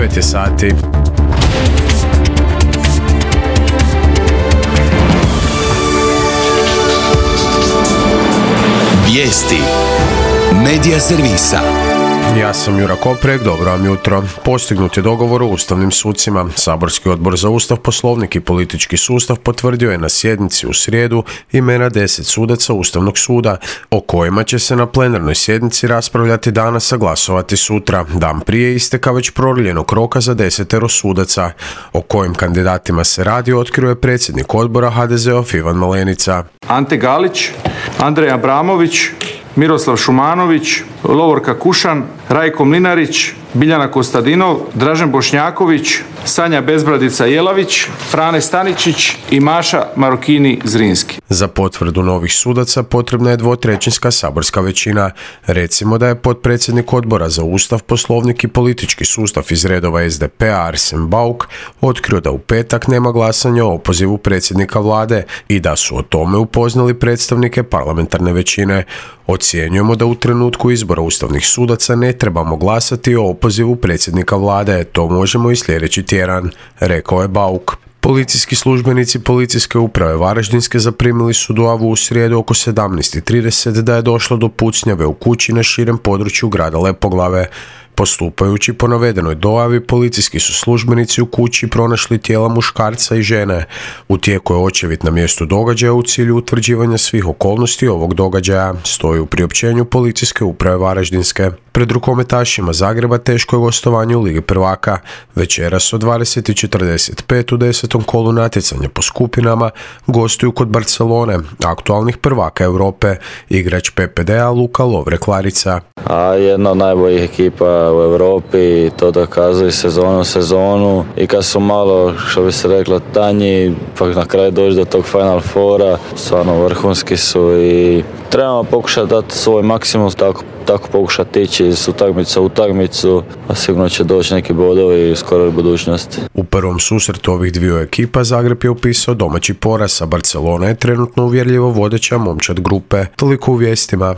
9 je sati. Vijesti Medija servisa. Ja sam Jura Koprek, dobro vam jutro. Postignut je dogovor o ustavnim sucima. Saborski odbor za Ustav, Poslovnik i politički sustav potvrdio je na sjednici u srijedu imena 10 sudaca Ustavnog suda, o kojima će se na plenarnoj sjednici raspravljati danas, a glasovati sutra, dan prije isteka već prorijenog roka za 10 sudaca. O kojim kandidatima se radi otkrio je predsjednik odbora HDZ-ov Ivan Malenica. Ante Galić, Andrej Abramović, Miroslav Šumanović, Lovorka Kušan, Rajko Mlinarić, Biljana Kostadinov, Dražen Bošnjaković, Sanja Bezbradica Jelavić, Frane Staničić i Maša Marokini Zrinski. Za potvrdu novih sudaca potrebna je 2/3 saborska većina. Recimo da je potpredsjednik odbora za Ustav, Poslovnik i politički sustav iz redova SDP-a Arsen Bauk otkrio da u petak nema glasanja o opozivu predsjednika vlade i da su o tome upoznali predstavnike parlamentarne većine. Ocjenjujemo da u trenutku izbora ustavnih sudaca ne trebamo glasati o opozivu predsjednika vlade, to možemo i sljedeći tjedan, rekao je Bauk. Policijski službenici Policijske uprave Varaždinske zaprimili su dojavu u srijedu oko 17:30 da je došlo do pucnjave u kući na širem području grada Lepoglave. Postupajući po navedenoj dojavi, policijski su službenici u kući pronašli tijela muškarca i žene. U tijeku je očevid na mjestu događaja u cilju utvrđivanja svih okolnosti ovog događaja, stoji u priopćenju Policijske uprave Varaždinske. Pred rukometašima Zagreba teško je gostovanje u Ligi prvaka. Večeras od 20:45 u 10. kolu natjecanja po skupinama gostuju kod Barcelone, aktualnih prvaka Europe, igrač PPD-a Luka Lovre-Klarica. Jedna od najboljih ekipa u Europi, to dokazuju sezonu i kad su malo, što bi se reklo, tanji, pa na kraju doći do tog Final Fora, stvarno vrhunski su i trebamo pokušati dati svoj maksimum, tako pokušati ići iz utakmice u utakmicu, a sigurno će doći neki bodovi u skoroj budućnosti. U prvom susretu ovih dviju ekipa Zagreb je upisao domaći poraz, a Barcelona je trenutno uvjerljivo vodeća momčad grupe. Toliko u vijestima.